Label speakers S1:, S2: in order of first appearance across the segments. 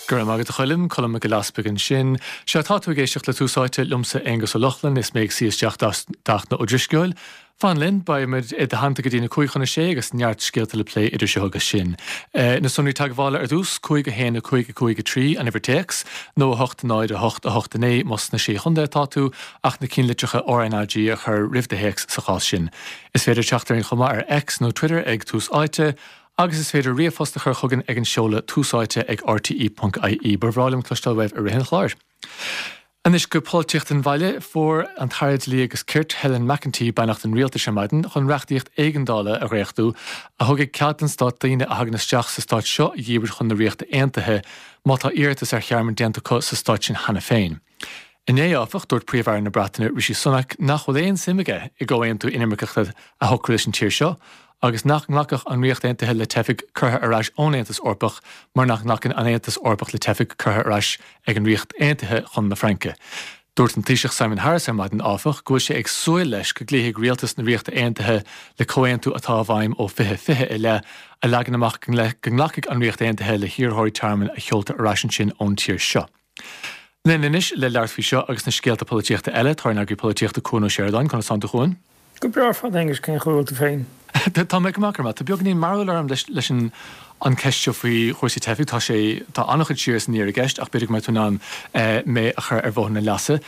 S1: Go raibh maith agat a Choilm, Colm Mac Giolla Easpaig ansin. Sea, tá tú ag éisteacht le Tús Áite liomsa Aonghus Ó Lochlainn is mé ag suí isteach d'Fhachtna Ó Drisceoil. Fan linn, beidh muid i do theannta go dtí na 5:55 agus neart scéalta le plé idir seo agus sin. Na sonraí teagmhála ar dtús, 5 1 5 5 3 an uimhir téacs, nó 8 0 8 8 9 más sna Sé Chontae atá tú, ach na cinnlitreacha RnaG a chur roimh do théacs sa chás sin. Is féidir teacht orainn chomh maith ar X nó Twitter ag Tús Áite, Agus is féidir ríomhphost a chur chugainn ag an seoladh túsáite ag rte.ie. Ba bhreá liom cloisteáil uaibh i rith an chláir. Anois go polaitíocht an bhaile. Fuair an tAire Dlí agus Cirt, Helen McEntee, beannacht an Rialtais ar maidin chun reachtaíocht éigeandála a dhréachtú a thugfaidh cead don Stát daoine a thagann isteach sa Stát seo a dhíbirt chun na Ríochta Aontaithe má tá iarratas ar thearmann déanta acu sa Stát sin cheana féin. Inné, áfach, dúirt Príomh-Aire na Breataine, Rishi Sunak, nach bhfuil aon suim aige i gcomhaontú inimirceachta a shocrú leis an tír seo agus nach nglacfadh an Ríocht Aontaithe le teifigh curtha ar ais ón Aontas Eorpach mar nach nglacann an Aontas Eorpach le teifigh curtha ar ais ag an Ríocht Aontaithe chun na Fraince. Dúirt an Taoiseach Simon Harris ar maidin, áfach, go bhfuil sé ag súil leis go gcloífidh rialtas na Ríochta Aontaithe le comhaontú atá i bhfeidhm ó 2020 i leith a leagann amach go nglacfaidh an Ríocht Aontaithe le hiarrthóirí tearmainn a sheoltar ar ais ansin ón tír seo. Linn anois le labhairt faoi seo agus na scéalta polaitíochta eile, tá ár n-eagraí polaitíochta Cuan Ó Seireadáin. Conas tánn tú, a Chuain?
S2: Go breá ar fad, a Aonghuis, cén chaoi a bhfuil tú féin?
S1: Tá mé go maith, go raibh maith. Tá beagáinín mearbhaill orm leis an an ceist seo faoi chúrsaí teifigh. Tá sé, tá an-chuid siar is aniar i gceist ach b'fhéidir go mbeidh tú in ann mé a chur ar bhóthar na leasa.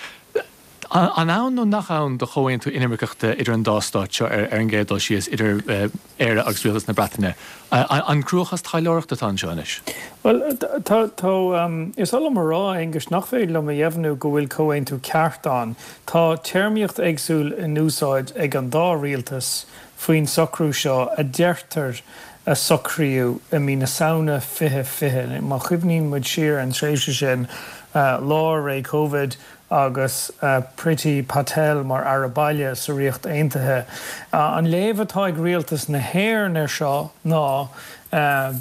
S1: An ann nó nach ann do chomhaontú inimirceachta idir an dá stát seo ar an gcéad dul síos, idir Éire agus Rialtas na Breataine? An cruachás taidhleoireachta atá anseo anois?
S2: Bhuel, tá, tá, is oth liom a rá, a Aonghuis, nach féidir liom a dheimhniú go bhfuil comhaontú ceart ann. Tá téarmaíocht éagsúil in úsáid ag an dá rialtas faoin socrú seo a deirtear a socraíodh i mí na Samhna 2020. Má chuimhníonn muid siar ar an tréimhse sin, lár ré Covid, agus Priti Patel mar Aire Baile sa Ríocht Aontaithe. An léamh atá ag rialtas na hÉireann air seo ná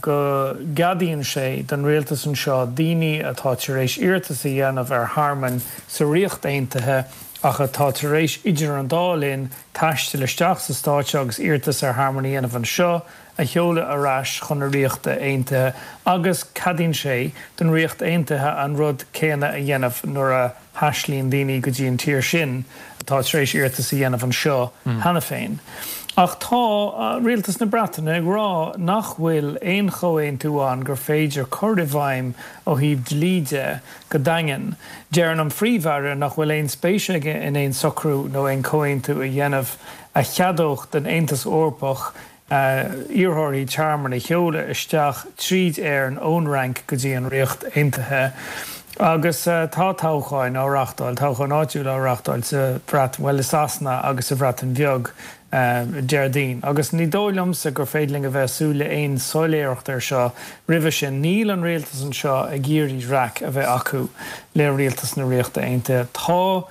S2: go gceadaíonn sé don rialtas anseo daoine atá tar éis iarratas a dhéanamh ar thearmann sa Ríocht Aontaithe ach atá tar éis idir an dá linn taisteal isteach sa stát seo agus iarratas ar thearmann a dhéanamh anseo a sheoladh ar ais chun na Ríochta Aontaithe agus ceadaíonn sé don Ríocht Aontaithe an rud céanna a dhéanamh nuair a thaistealaíonn daoine go dtí an tír sin atá tar éis iarratas a dhéanamh anseo cheana féin. Ach tá Rialtas na Breataine ag rá nach bhfuil aon chomhaontú ann gur féidir cur i bhfeidhm ó thaobh dlí de go daingean. Deireann an Phríomh-Aire nach bhfuil aon spéis aige in aon socrú nó aon chomhaontú a dhéanamh a cheadódh don Aontas Eorpach iarrthóirí tearmainn a sheoladh isteach tríd Éirinn ón Fhrainc go dtí an Ríocht Aontaithe. Agus tá toghcháin á reáchtáil, toghcháin áitiúla á reáchtáil sa Bhreatain, bhuel i Sasana agus sa Bhreatain Bheag Déardaoin. Agus ní dóigh liomsa gur féidir linn a bheith ag súil le aon soiléireacht air seo roimhe sin. Níl an rialtas anseo ag iarraidh raic a bheith acu le rialtas na Ríochta Aontaithe. Tá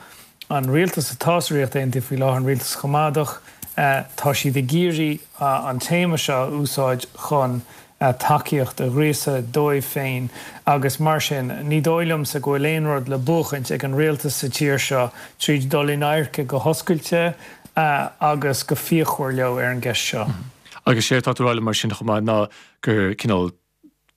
S2: an rialtas atá sa Ríocht Aontaithe faoi láthair, an rialtas Choimeádach, tá siad ag iarraidh an téama seo a úsáid chun tacaíocht a ghríosadh dóibh féin agus mar sin ní dóigh liomsa go bhfuil aon rud le buachaint ag an rialtas sa tír seo tríd dul in adharca go hoscailte agus go fíochmhar leo ar an gceist seo.
S1: Agus séard atá tú a rá liom mar sin chomh maith ná gur cineál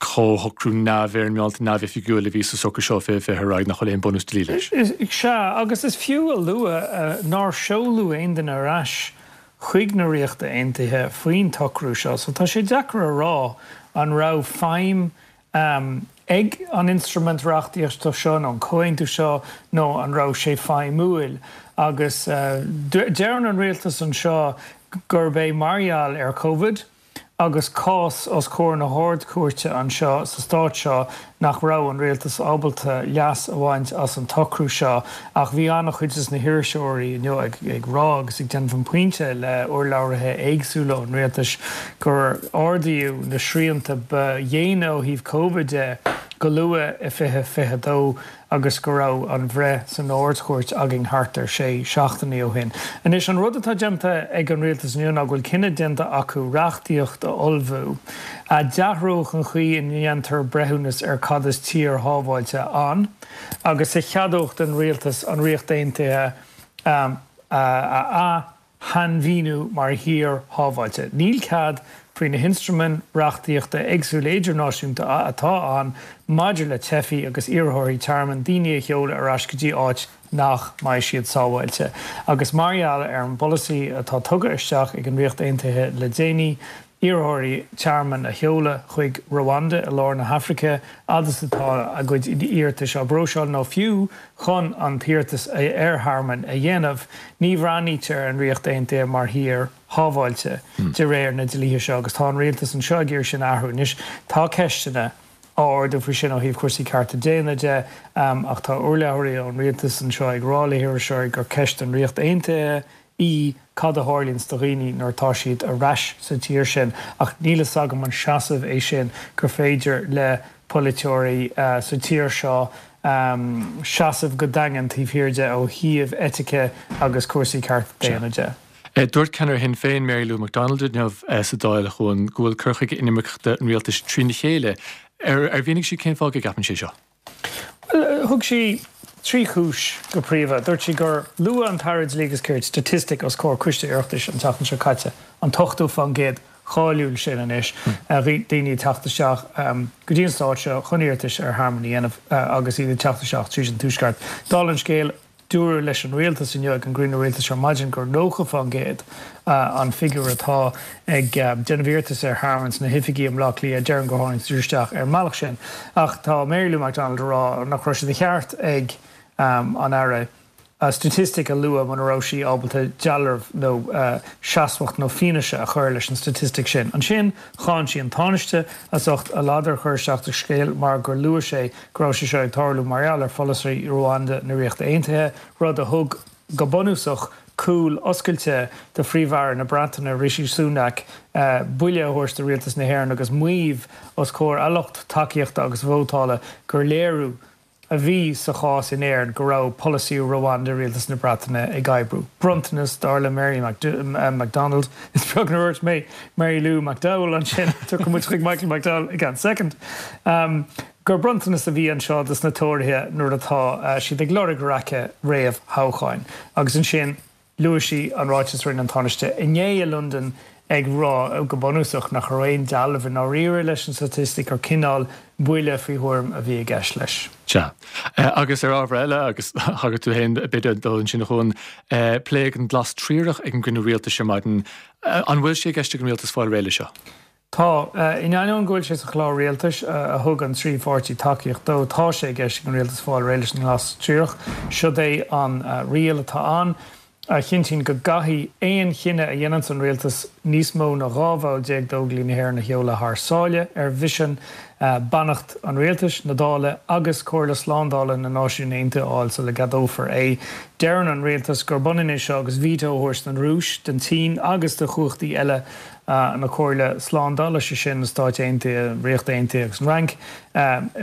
S1: comhshocrú neamhfhoirmeálta, neamhoifigiúil a bhí sa socrú seo 2020 ar aghaidh nach bhfuil aon bunús dlí leis.
S2: Sea, agus is fiú a lua nár seoladh aon duine ar ais chuig na Ríochta Aontaithe faoin tsocrú seo, so tá sé deacair a rá an raibh feidhm ag an instruimint reachtaíochta seo nó an comhaontú seo nó an raibh sé feidhmiúil. Agus deireann an rialtas anseo gurb é mar gheall ar Covid, agus cás os comhair na hArd-Chúirte anseo sa stát seo nach raibh an rialtas ábalta leas a bhaint as an tsocrú seo ach bhí an-chuid des na hiriseoirí inniu ag rá agus ag déanamh an pointe le urlabhraithe éagsúla ón rialtas gur ardaíodh na srianta ba dhéine ó thaobh Covid de go luath i 2022 agus go raibh an bhreith san Ard-Chúirt againn thart ar sé seachtainí ó shin. Anois, an rud atá déanta ag an rialtas inniu ná go bhfuil cinneadh déanta acu reachtaíocht a ullmhú a d'athródh an chaoi a ndéantar breithiúnas ar cad is tír shábháilte ann agus a cheadódh don rialtas an Ríocht Aontaithe a shainmhíniú mar thír shábháilte. Níl cead faoi na hionstraimí reachtaíochta éagsúla idirnáisiúnta atá ann maidir le teifigh agus iarrthóirí tearmainn, daoine a sheoladh ar ais go dtí áit nach mbeidh siad sábháilte. Agus mar gheall ar an bpolasaí atá tugtha isteach ag an Ríocht Aontaithe le déanaí, iarrthóirí tearmainn a sheoladh chuig Rwanda i lár na hAfraice fhad is atá a gcuid iarratais á bpróiseáil nó fiú chun an t-iarratas ar thearmann a dhéanamh, ní bhreathnaítear ar an Ríocht Aontaithe mar thír shábháilte de réir na dlíthe seo agus tá an rialtas anseo ag iarraidh sin a athrú. Anois tá ceisteanna á ardú faoi sin ó thaobh cúrsaí cearta daonna de ach tá urlabhraí ón rialtas anseo ag rá le hiriseoirí gur ceist don Ríocht Aontaithe í cad a tharlaíonns do dhaoine nuair atá siad ar ais sa tír sin ach níl fhios agam an seasamh é sin gur féidir le polaiteoirí sa tír seo seasamh go daingean taobh thiar de ó thaobh eitice agus cúrsaí cearta daonna de.
S1: Dúirt ceannaire Shinn Féin, Mary Lou McDonald inniu sa Dáil, a Chuain, go bhfuil cur chuige inimirceachta an rialtais trína chéile. Ar mhínigh sí cén fáth go gceapann sé seo?
S2: Bhuel, thug sí trí chúis go príomha. Dúirt sí gur luaigh an tAire Dlí agus Cirt staitistic os comhair Coiste Oireachtais an tseachtain seo caite, an 80% cáiliúil sin anois, daoine ag teacht isteach go dtí an stát seo chun iarratais ar thearmann a dhéanamh agus iad ag teacht isteach tríd an Tuaisceart. Dála an scéil, Dúradh leis an Rialtas inniu ag an gcruinniú Rialtais ar maidin gur 90% an figiúr atá ag déanamh iarratas ar thearmann sna hoifigí i mBleá Cliath. Deireann gur tháinig siad isteach ar an mbealach sin. Ach tá Mary Lou McDonald ag rá nach raibh sé de cheart ag an Aire staitistic a lua muna raibh sí ábalta dealramh nó seasmhacht nó fianaise a chur leis an staitistic sin. Ansin cháin sí an Tánaiste as ucht a ladar a chur isteach sa scéal mar gur luaigh sé go raibh sé seo ag tarlú mar gheall ar pholasaí Rwanda na Ríochta Aontaithe, rud a thug, go bunúsach, cúl oscailte do Phríomh-Aire na Breataine, Rishi Sunak, buille a thabhairt do rialtas na hÉireann agus maíomh os comhair a lucht tacaíochta agus vótála gur léiriú a bhí sa chás in Éirinn go raibh polasaí Rwanda rialtas na Breataine ag oibriú. Bronntanas, dar le Mary McDonald, is beag nár dhúirt mé Mary Lou McDowell ansin, tiocfaidh muid chuig Michael McDowell i gceann soicind, gur bronntanas a bhí anseo dos na Tóraithe nuair atá siad ag lorg raice réamh-thoghcháin. Agus ansin luaigh sí an ráiteas a rinne an Tánaiste inné i Londain ag rá, go bunúsach, nach raibh aon dealramh i ndáiríre leis an staitistic, gur cineál buille faoi thuairim a bhí i gceist leis.
S1: Sea. Agus ar ábhar eile, agus thagair tú féin b'fhéidir dó ansin a Chuain, pléadh an Glas Triarach ag an gcruinniú rialtais ar maidin. An bhfuil sé i gceist ag an rialtas fáil réidh leis seo?
S2: Tá. In ainneoin go bhfuil sé sa chlár rialtais, a thug an trí pháirtí tacaíocht dó, tá sé i gceist ag an rialtas fáil réidh leis an nGlas Triarach. Siod é an riail atá ann, a chinntíonn go gcaithfidh aon chinneadh a dhéananns an rialtas níos mó ná 12 bhall d'Óglaigh na hÉireann a sheoladh thar sáile ar mhisean, beannacht an rialtais, na Dála agus Comhairle Slándála na Náisiún Aontaithe a fháil sula gceadófar é. Deireann an rialtas gurb ionann é seo agus veto a thabhairt don Rúis, don tSín agus do chumhachtaí eile na Comhairle Slándála, sé sin na Stáit Aontaithe, an Ríocht Aontaithe agus an Fhrainc,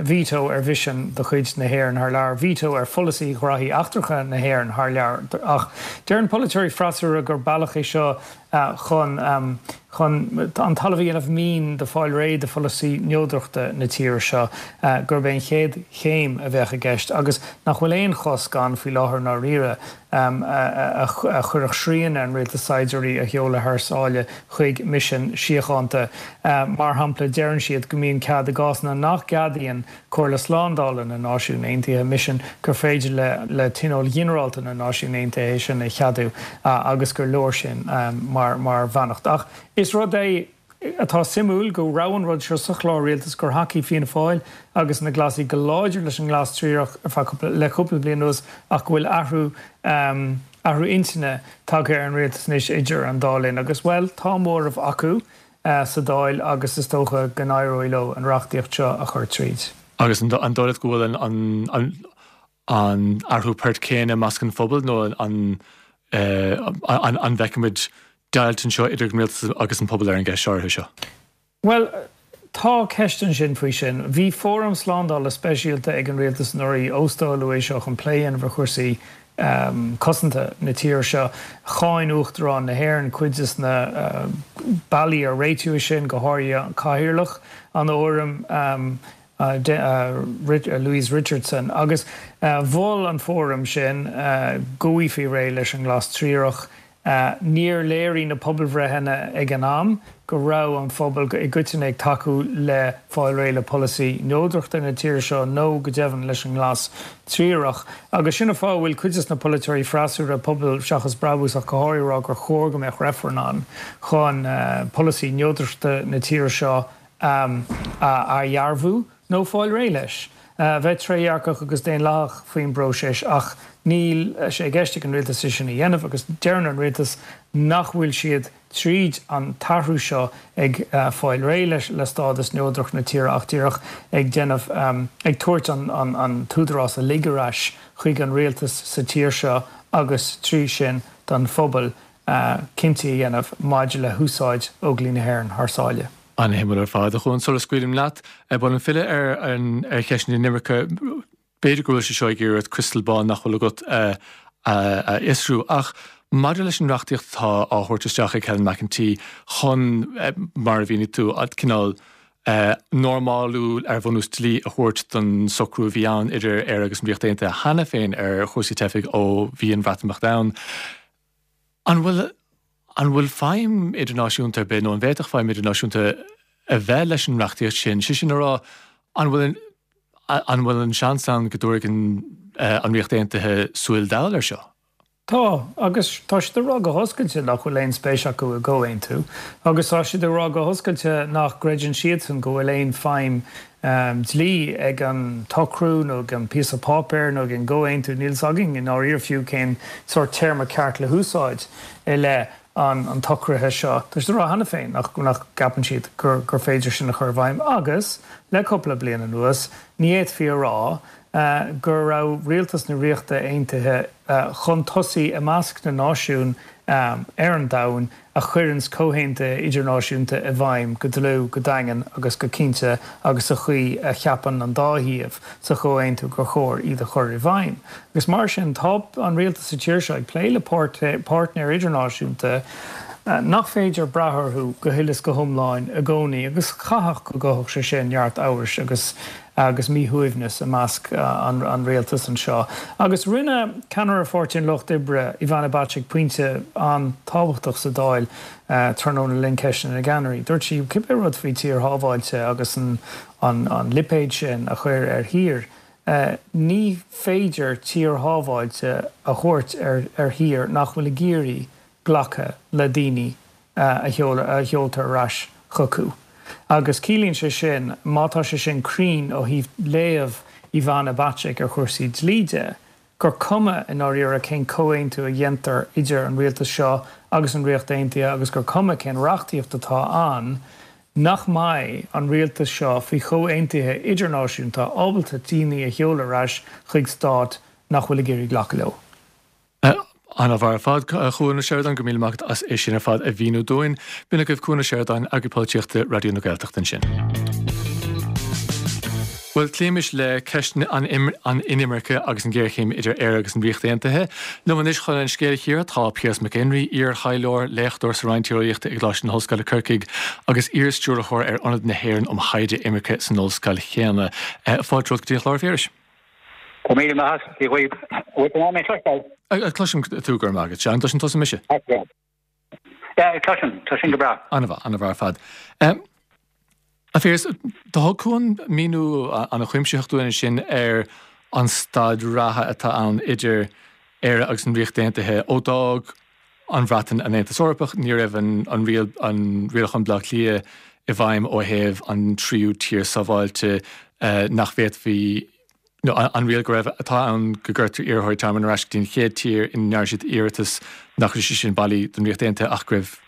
S2: veto ar mhisin de chuid na hÉireann thar lear, veto ar pholasaí ghraithí eachtracha na hÉireann thar lear. Ach deireann polaiteoirí freasúra gur bealach é seo chun chun an talamh a dhéanamh mín do fáil réidh de pholasaí neodrachta na tíre seo, gurb é an chéad chéim a bheadh i gceist agus nach bhfuil aon chosc ann faoi láthair i ndáiríre. a chuirfeadh srian ar an rialtas saighdiúirí a sheoladh thar sáile chuig misin síochánta. Mar shampla, deireann siad go mbíonn cead i gcásanna nach gceadaíonn Comhairle Slándála na Náisiún Aontaithe misin gur féidir le Tionól Ghinearálta na Náisiún Aontaithe é sin a cheadú agus gur leor sin mar bheannacht. Ach is rud é atá suimiúil go raibh an rud seo sa chlár rialtais, gur thacaigh Fianna Fáil agus na Glasaigh go láidir leis an nglas triarach ar feadh cúpla, le cúpla bliain anuas ach go bhfuil athrú, athrú intinne tagtha ar an rialtas anois idir an dá linn agus, bhuel, tá móramh acu sa Dáil agus is dócha go n-éireoidh leo an reachtaíocht seo a chur tríd.
S1: Agus an dóigh leat go bhfuil an, an athrú poirt céanna i measc an phobail nó an an bhfeicfimid deighilt anseo idir an rialtas agus an pobal ar an gceist áirithe seo?
S2: Bhuel, tá ceist ansin faoi sin. Bhí fóram slándála speisialta ag an rialtas anuraidh, óstáladh é seo chun plé a dhéanamh ar chúrsaí cosanta na tíre seo. Cháin Uachtarán na hÉireann cuid de na bealaí ar réitíodh é sin, go háirithe cathaoirleach an fhóraim, Louise Richardson, agus mhol an fóram sin go bhfaighfí réidh leis an nglas triarach. Níor léirigh na pobalbhreitheanna ag an am go raibh an phobal i gcoitinne ag tacú le fáil réidh le polasaí neodrachta na tíre seo nó go deimhin leis an nglas triarach. Agus sin an fáth a bhfuil cuid de na polaiteoirí freasúra, Pobal Seachas Brabús ach go háirithe, ag rá gur chóir go mbeadh reifreann ann chun polasaí neodrachta na tíre seo a athdhearbhú nó fáil réidh leis. Bheith trédhearcach agus daonlathach faoin bpróiseas ach níl sé i gceist ag an rialtas é sin a dhéanamh agus deireann an rialtas nach bhfuil siad tríd an t-athrú seo ag fáil réidh le stádas neodrach na tíre ach díreach ag déanamh, ag tabhairt an t-údarás uilig ar ais chuig an rialtas sa tír seo agus trí sin don phobal cinntí a dhéanamh maidir le húsáid Óglaigh na hÉireann thar sáile.
S1: An-shuimiúil ar fad. A Chuain, sula scaoilim leat, ba mhaith liom filleadh ar ar cheist na hinimirce. B'fhéidir go bhfuil sé seo ag iarraidh criostal bán nach bhfuil agat a fhiosrú, ach maidir leis an reachtaíocht atá á thabhairt isteach ag Helen McEntee chun, mar a mhínigh tú, cineál normálú ar bhunús dlí a thabhairt don socrú a bhí ann idir Éire agus an Ríocht Aontaithe cheana féin ar chúrsaí teifigh ó bhí an Bhreatimeacht ann. An bhfuil, an bhfuil feidhm idirnáisiúnta ar bith, nó an bhféadfadh feidhm idirnáisiúnta a bheith leis an reachtaíocht sin? Sé sin a rá, an bhfuil, an bhfuil an seans ann go dtabharfaidh an, an Ríocht Aontaithe súil dall air seo?
S2: Tá, agus tá siad ag rá go hoscailte nach bhfuil aon spéis acu i gcomhaontú, agus tá siad ag rá go hoscailte nach gcreideann siadsan go bhfuil aon feidhm dlí ag an tsocrú nó ag an píosa páipéir nó ag an gcomhaontú, níl 's againn i ndáiríre fiú cén sórt téarma ceart le húsáid i leith an tsocraithe seo. Tá siad ag rá cheana féin nach gceapann siad gur féidir sin a chur i bhfeidhm agus, le cúpla bliain anuas, ní fhéadfaí a rá go raibh rialtas na Ríochta Aontaithe chun tosaigh i measc na náisiún ar an domhan a chuireanns comhaontuithe idirnáisiúnta i bhfeidhm go dlúth, go daingean agus go cinnte agus sa chaoi a cheapann an dá thaobh sa chomhaontú gur chóir iad a chur i bhfeidhm. Agus mar sin, tá an rialtas sa tír seo ag plé le páirtnéir idirnáisiúnta nach féidir brath orthu go huile is go hiomlán i gcónaí agus chaithfeadh go gcothódh sé sin neart amhrais agus agus míshuaimhneas i measc an rialtais anseo. Agus rinne ceannaire Pháirtí an Lucht Oibre, Ivana Bacik, pointe an-tábhachtach sa Dáil tráthnóna le linn Ceisteanna na gCeannairí. Dúirt sí, cibé rud faoi tír shábháilte agus an lipéad sin a chur ar thír, ní féidir tír shábháilte a thabhairt ar thír nach bhfuil ag iarraidh glacadh le daoine a sheoltar ar ais chucu. Agus ciallaíonn sé sin, má tá sé sin cruinn ó thaobh léamh Ivana Bacik ar chúrsaí dlí de, gur cuma i ndáiríre cén comhaontú a dhéantar idir an rialtas seo agus an Ríocht Aontaithe agus gur cuma cén reachtaíocht atá ann, nach mbeidh an rialtas seo faoi chomhaontuithe idirnáisiúnta ábalta daoine a sheoladh ar ais chuig stát nach bhfuil ag iarraidh glacadh leo.
S1: An-mhaith ar fad, a Chuan Ó Seireadáin, go raibh míle maith agat as é sin ar fad a mhíniú dúinn. B'in agaibh Cuan Ó Seireadáin, Eagraí Polaitíochta Raidió na Gaeltachta ansin. Bhuel, cloímis le ceist an inimirce agus an ghéarchéim idir Éire agus an Ríocht Aontaithe. Liom anois chun an scéal a chíoradh tá Piaras Mac Éinrí, iar-thaidhleoir, léachtóir sa Roinn Tíreolaíochta i gColáiste na hOllscoile Corcaigh agus iar-stiúrthóir ar Ionad na hÉireann um Thaighde Imirce san ollscoil chéanna. Fáilte romhat go dtí an chlár, a Phiarais.
S3: Go raibh míle maith agat, Dia dhaoibh. Bhfuil tú in ann mé a chloisteáil?
S1: Cloisim tú, go raibh maith agat. Sea, an gcloiseann tusa mise?
S3: Yeah, cloisim, tá sin go breá.
S1: An-mhaith, an-mhaith ar fad. A Phiarais, do thug Cuan míniú an-chuimsitheach dúinn ansin ar an staid reatha atá ann idir Éire agus an Ríocht Aontaithe ó d'fhág an Bhreatain an Aontas Eorpach, ní raibh an an Rialachán Baile Átha Cliath i bhfeidhm ó thaobh an tríú tír sábháilte nach bhféadfaí nó an riail go raibh atá ann go gcuirtear iarrthóirí tearmainn ar ais go dtí an chéad tír ina ndearna siad iarratas nach raibh sé sin bailí don Ríocht Aontaithe ach go raibh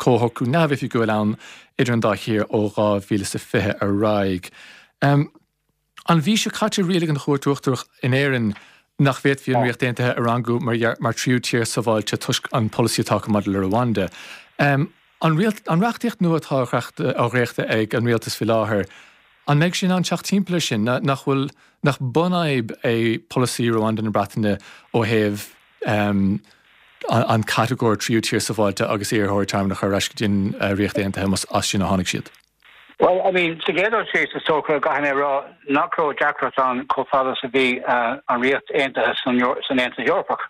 S1: comhshocrú neamhoifigiúil ann idir an dá thír ó 2020 ar aghaidh. An mhí seo caite rialaigh an Chúirt Uachtarach in Éirinn nach bhféadfaí an Ríocht Aontaithe a rangú mar thríú tír sábháilte toisc an polasaí atá acu maidir le Rwanda. An reachtaíocht nua atá á dhréachtadh ag an rialtas faoi láthair, an mbeidh sé in ann teacht timpeall air sin? Nach bhfuil, nach bunfhadhb é polasaí Rwanda na Breataine ó thaobh an catagóir tríú tír sábháilte agus iarrthóirí tearmainn a chur ar ais go dtí an Ríocht Aontaithe más as sin a tháinig siad?
S3: Bhuel, I mean, sa gcéad dul síos, is dócha, caithfidh mé a rá nach raibh deacracht ann chomh fada is a bhí an Ríocht Aontaithe san Aontas Eorpach,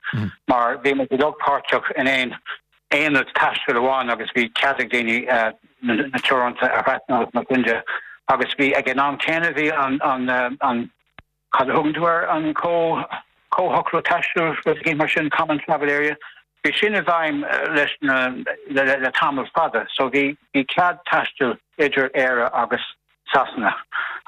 S3: mar bhí muid uilig páirteach in aon. Aonad taistil amháin agus bhí cead ag daoine na teoranta a thrasnú agus mar sin de agus bhí ag an am céanna bhí an an an cad a thugann tú air an comh comhshocrú taistil rud éigin mar sin common travel area bhí sin i bhfeidhm leis na le le tamall fada so bhí bhí cead taistil idir Éire agus Sasana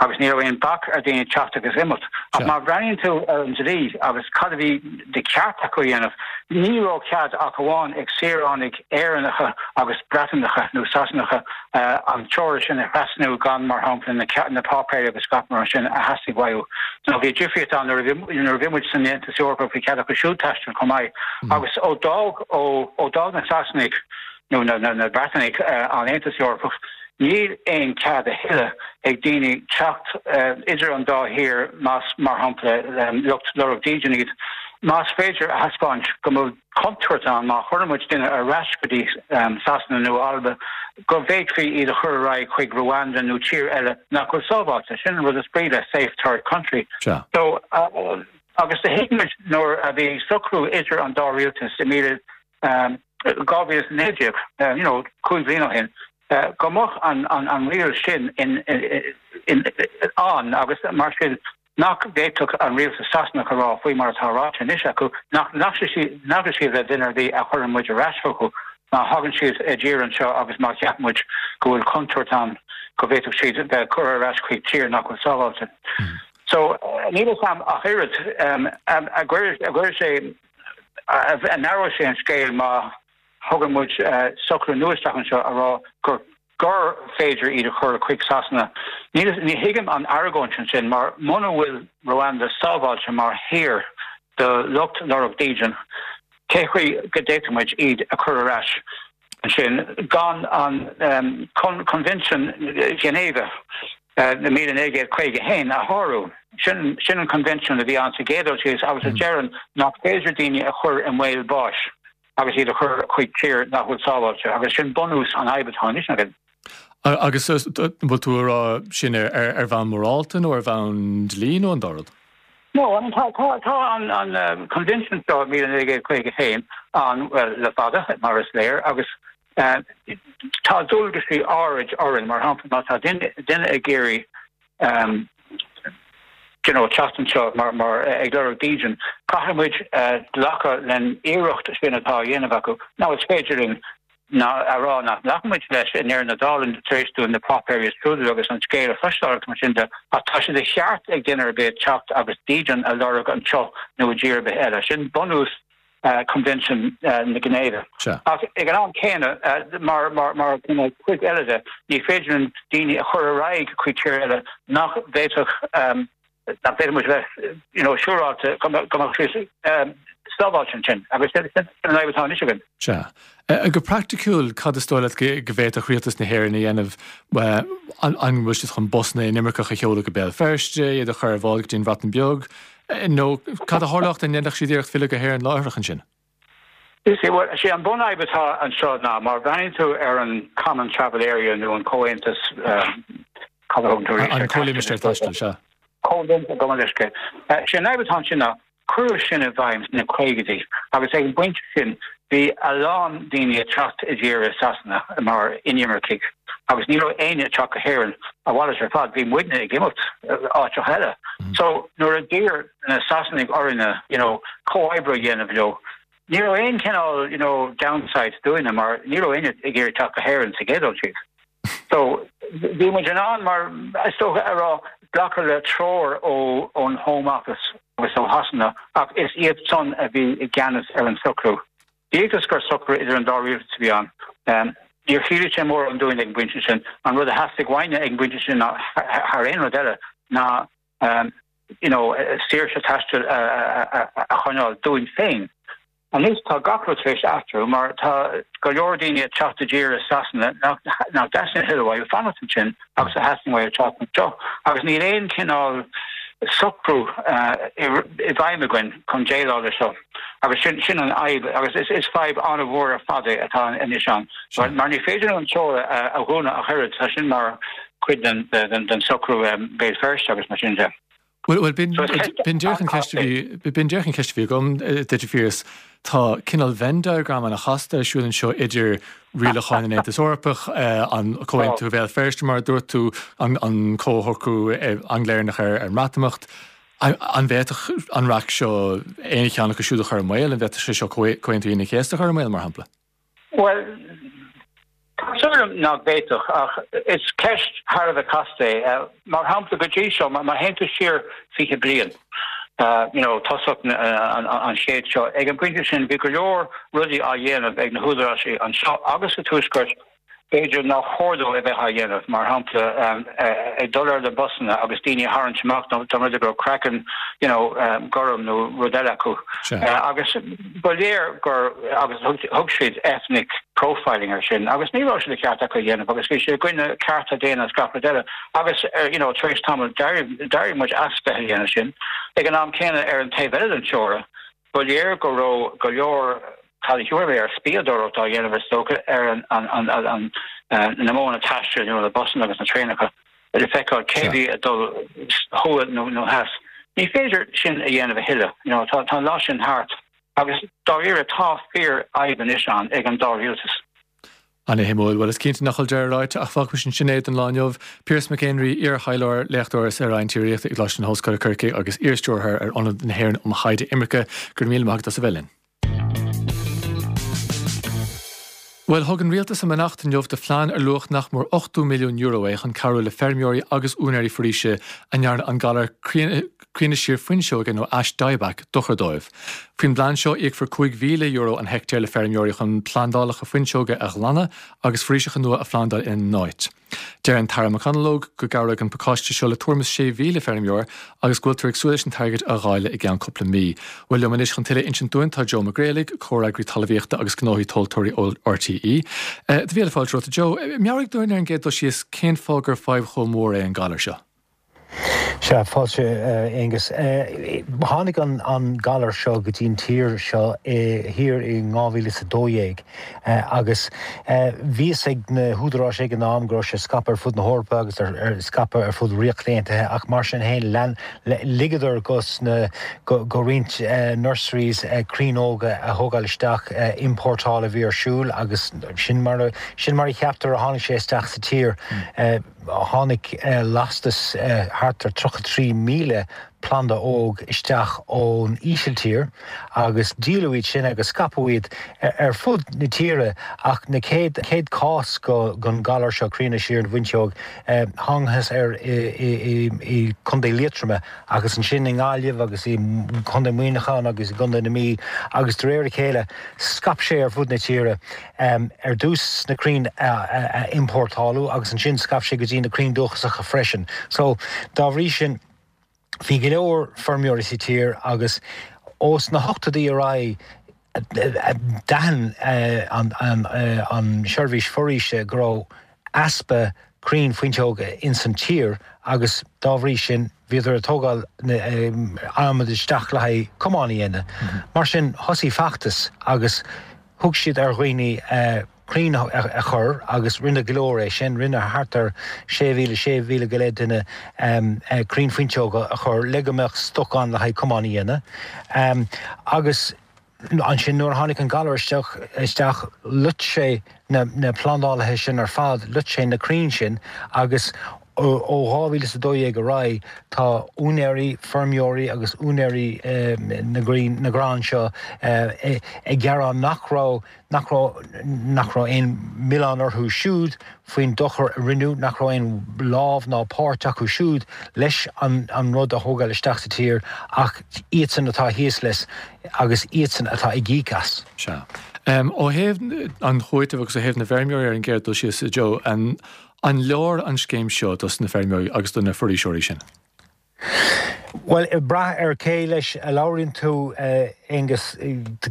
S3: agus ní raibh aon bac ar daoine teacht agus imeacht. Ach má bhreathnaíonn tú ar an dlí agus cad a bhí de cheart acu a dhéanamh, ní raibh cead ach amháin ag saoránaigh Éireannacha agus Breatanacha nó Sasanacha an teora sin a thrasnú gan, mar shampla, na páipéirí agus gach mar sin a theastaigh uathu. Nó bhí difríocht ann nuair a bhí muid san Aontas Eorpach bhí cead acu siúd taisteal chomh maith. Agus ó d'fhág na Sasanaigh nó na Breatanaigh an Aontas Eorpach, Níl aon cead a thuilleadh ag daoine teacht idir an dá thír más, mar shampla, lucht lorg dídean iad. Más féidir a thaispeáint go bhfuil contúirt ann má chuireann muid duine ar ais go dtí Sasana nó Alba go bhféadfaí iad a chur ar aghaidh chuig Rwanda nó tír eile nach bhfuil sábháilte. Sin an rud is brí le safe third country. So, agus do thuig muid nuair a bhí socrú idir an dá rialtas i 2019, you know, 5 bhliain ó shin, go mbeadh an riail sin ann agus mar sin nach bhféadfadh an rialtas Sasanach a rá, faoi mar atá ráite anois acu, nach nglacfaidh siad le duine ar bith a chuireann muid ar ais chucu má thagann siad i dtír anseo agus má cheapann muid go bhfuil contúirt ann go bhféadfadh siad bheith curtha ar ais chuig tír nach bhfuil sábháilte. So, níl a fhios agam ach oiread a gcuirfidh sé an athróidh sé an scéal má thugann muid socrú nua isteach anseo a rá gur gur féidir iad a chur chuig Sasana. Ní thuigim an argóint ansin mar muna bhfuil Rwanda sábháilte mar thír do lucht lorg dídean, cé chaoi go bhféadfadh muid iad a chur ar ais ansin gan an Coinbhinsiún Ghinéive na 1951 a shárú. Sin sin an coinbhinsiún a bhí ann sa gcéad dul síos agus a deireann nach féidir daoine a chur i mbaol báis agus iad a chur chuig tír nach bhfuil sábháilte agus sin bunús an fhadhb atá anois againn.
S1: Agus an bhfuil tú ag rá sin ar bhonn morálta nó ar bhonn dlí nó an dá rud?
S3: No, tá tá an coinbhinsiún seo 1951 ann well le fada mar is léir agus Tá dualgaisí áirid orainn, mar shampla má tá duine ag iarraidh you know teacht anseo mar mar ag lorg dídean, caithfidh muid glacadh len iarracht sin atá á dhéanamh acu. Now is féidir linn a rá nach nglacann muid leis i ndeireadh na dála tar éis dúinn na páipéirí a scrúdú agus an scéal a chloisteáil agus mar sin de, ach tá sé de cheart ag duine ar bith teacht agus dídean a lorg anseo nó i dtír ar bith eile. Sin bunús Coinbhinsiún na Ginéive. Ach ag an am céanna, mar mar chuid eile de, ní féidir linn daoine a chur ar aghaidh chuig tír eile nach bhféadfadh nach bhféadfadh muid bheith you know siúráilte go mbeadh siad sábháilte ansin. Agus sin an fhadhb atá anois againn.
S1: Sea. Go praiticiúil, cad is dóigh leat go bhféadfadh Rialtas na hÉireann a dhéanamh? An bhfuil siad chun busanna inimirceach a sheoladh go Béal Feirste, iad a chur ar bhád go dtí an Bhreatain Bheag? Nó cad a tharlódh dá ndéanfadh siad iarracht filleadh go hÉirinn láithreach ansin?
S3: Is é an bunfhadhb atá anseo ná má bhreathnaíonn tú ar an Common Travel Area nó an Comhaontas,
S1: cad a thugann tú arís? An Comhlimistéar Taistil, sea.
S3: Comhlimistéar, gabh mo leithscéal. Sé an fhadhb atá ansin ná Cuireadh sin i bhfeidhm sna caogaidí agus ag an bpointe sin bhí a lán daoine ag teacht i dtír i Sasana mar inimircigh agus ní raibh éinne ag teacht go hÉirinn, a mhalairt ar fad, bhí muidne ag imeacht áiteacha eile. So nuair a d'iarr na Sasanaigh orainne you know comhoibriú a dhéanamh leo, ní raibh aon chineál you know downside dúinne mar ní raibh éinne ag iarraidh teacht go hÉirinn sa gcéad dul síos. So, bhí muid in ann, mar is dócha, a rá, glacadh le treoir ón Home Office agus ó Shasana, ach is iad san a bhí i gceannas ar an socrú. Bíodh is gur socrú idir an dá rialtas a bhí ann, níor chiallaigh sé mórán dúinn ag an bpointe sin. An rud a theastaigh uainne ag an bpointe sin ná, thar aon rud eile, ná you know, saoirse taistil a choinneáil dúinn féin. Anois tá gach rud tar éis athrú mar tá go leor daoine ag teacht i dtír i Sasana nach dteastaíonn a thuilleadh uathu fanacht ansin agus a theastaíonn uathu teacht anseo agus níl aon chineál socrú i bhfeidhm againn chun déileáil leis seo agus sin sin an fhadhb agus is fadhb an-mhór ar fad é atá anois ann mar ní féidir an teora a dhúnadh ach oiread, tá sin mar chuid den socrú Béal Feirste agus mar sin de.
S1: Bhuel, b'in díreach an cheist a bhí, b'in díreach an cheist a bhí agam duit, a Phiarais. Tá cineál Venn diagram an-chasta ar siúl anseo idir rialacháin an Aontais Eorpaigh, an Comhaontú Bhéal Feirste, mar a dúirt tú, an Comhshocrú Angla-Éireannach ar an mBreatimeacht. An bhféadfadh an raic seo aon cheann acu siúd a chur i mbaol? An bhféadfadh sé seo Comhaontú Aoine an Chéasta a chur i mbaol, mar shampla?
S3: Bhuel, tá súil agam nach bhféadfadh, ach is ceist thar a bheith casta é. Mar shampla, go dtí seo, má théann tú siar 20 bliain, you know, tosach an chéid seo, ag an bpointe sin bhí go leor rudaí á dhéanamh ag na húdaráis anseo agus sa Tuaisceart b'fhéidir nár chóir dóibh a bheith á dhéanamh, mar shampla, ag dul ar na busanna agus daoine a tharraingt amach dá mba rud é go raibh craiceann, you know, gorm nó rud eile acu. Agus ba léir gur, agus thug siad ethnic profiling air sin, agus ní raibh sé de cheart acu a dhéanamh agus bhí sé i gcoinne cearta daonna agus gach rud eile. Agus, you know, tar éis tamaill d'éirigh muid as bheith a dhéanamh sin. Ag an am céanna, ar an taobh eile den teora, Ba léir go raibh go leor, cad a thiúrfaidh mé air, spiadóireacht á dhéanamh is dócha ar an na modhanna taistil, nó na busanna agus na traenacha, le feiceáil cé bhí ag dul thuaidh nó theas. Ní féidir sin a dhéanamh a thuilleadh, you know, tá an lá sin thart agus dáiríre tá fíor-fhadhb anois ann ag an dá rialtas.
S1: Ana-shuimiúil. Bhuel, is cinnte nach bhfuil deireadh ráite, ach fágfaimis ansin é don lá inniu. Piaras Mac Éinrí, iar-thaidhleoir, léachtóir sa Roinn Tíreolaíochta i gColáiste na hOllscoile, Corcaigh agus iar-stiúrthóir ar Ionad na hÉireann um Thaighde Imirce, go raibh míle maith agat as a bheith linn. Bhuel, thug an Rialtas a mbeannacht inniu do phlean ar luach nach mór €80 milliún é chun cabhrú le feirmeoirí agus úinéirí foraoise a ndearna an galar críonadh siar fuinseoige nó ash dieback dochar dóibh. Faoin bplean seo, íocfar €5,000 an heictéar le feirmeoirí chun plandálacha fuinseoige a ghlanadh agus foraoiseacha nua a phlandáil ina n-áit. Deir an tAire McConalogue go gcabhróidh an pacáiste seo le tuairim is 6,000 feirmeoir agus go bhfuiltear ag súil leis an t-airgead a dháileadh i gceann cúpla mí. Bhuel, liom anois chun tuilleadh a insint dúinn tá Joe Mac Grealaigh, Comhfhreagraí Talmhaíochta agus Gnóthaí Tomhaltóirí ó RTÉ. Do mhíle fáilte romhat, a Joe. Meabhraigh dúinn ar an gcéad dul síos cén fáth gur fadhb chomh mór é an galar seo.
S4: Sea, fáilte, a Aonghus. Tháinig an galar seo go dtí an tír seo thiar in 2012 agus bhí fhios ag na húdaráis ag an am go raibh sé scaipthe ar fud na hEorpa agus scaipthe ar fud Ríocht Aontaithe ach mar sin féin lean, ligeadar go roinnt nurseries crainn óga a thógáil isteach, iompórtáil a bhí ar siúl agus sin mar a, sin mar a cheaptar a tháinig sé isteach sa tír. Tháinig lastas thart ar 33,000 planda óg isteach ón Ísiltír agus díoladh iad sin agus scaipeadh iad ar fud na tíre ach na chéad chéad cás den ghalar seo, críonadh siar na bhfuinseog, thángthas air i gContae Liatroma agus ansin i nGaillimh agus i gContae Mhuineacháin agus i gContae na Mí agus de réir a chéile scaip sé ar fud na tíre. Ar dtús na crainn a iompórtáladh agus ansin scaip sé go dtí na crainn dúchasacha freisin. So, dá bhrí sin, bhí go leor feirmeoirí sa tír agus ós na hochtóidí ar aghaidh d'aithin an tSeirbhís Foraoise go raibh easpa crainn fuinseoige ins an tír agus dá bhrí sin bhíodar ag tógáil adhmad isteach le haghaidh cumáin a dhéanamh. Mar sin thosaigh feachtas agus thug siad ar dhaoine crainn a chur agus rinne go leor é sin, rinne thart ar 6,000, 6,000 go leith duine crainn fuinseoige a chur le go mbeadh stoc ann le haghaidh cumáin a dhéanamh. Agus ansin nuair a tháinig an galar isteach, isteach loit sé na plandálaithe sin ar fad, loit sé na crainn sin agus ó 2012 ar aghaidh tá úinéirí, feirmeoirí agus úinéirí na gcrainn, na gcrann seo ag gearán nach raibh, nach raibh, nach raibh aon mhilleán orthu siúd faoin dochar a rinneadh, nach raibh aon lámh ná páirt acu siúd leis an an rud a thógáil isteach sa tír ach iadsan atá thíos leis agus iadsan atá ag íoc as.
S1: Sea. Ó thaobh an chúitimh agus ó thaobh na bhfeirmeoirí ar an gcéad dul síos, a Joe, an An leor an scéim seo dos na feirmeoirí agus do na foraoiseoirí sin?
S4: Bhuel, ag brath ar cé leis a labhraíonn tú, Aonghus,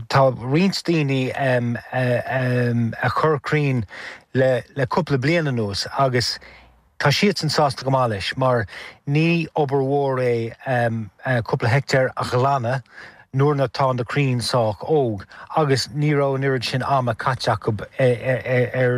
S4: tá roinnt daoine a chuir crainn le cúpla bliain anuas agus tá siadsan sásta go maith leis mar ní obair mhór é cúpla heicteár a ghlanadh nuair atá na crainn sách óg agus ní raibh an oiread sin ama caite acu ar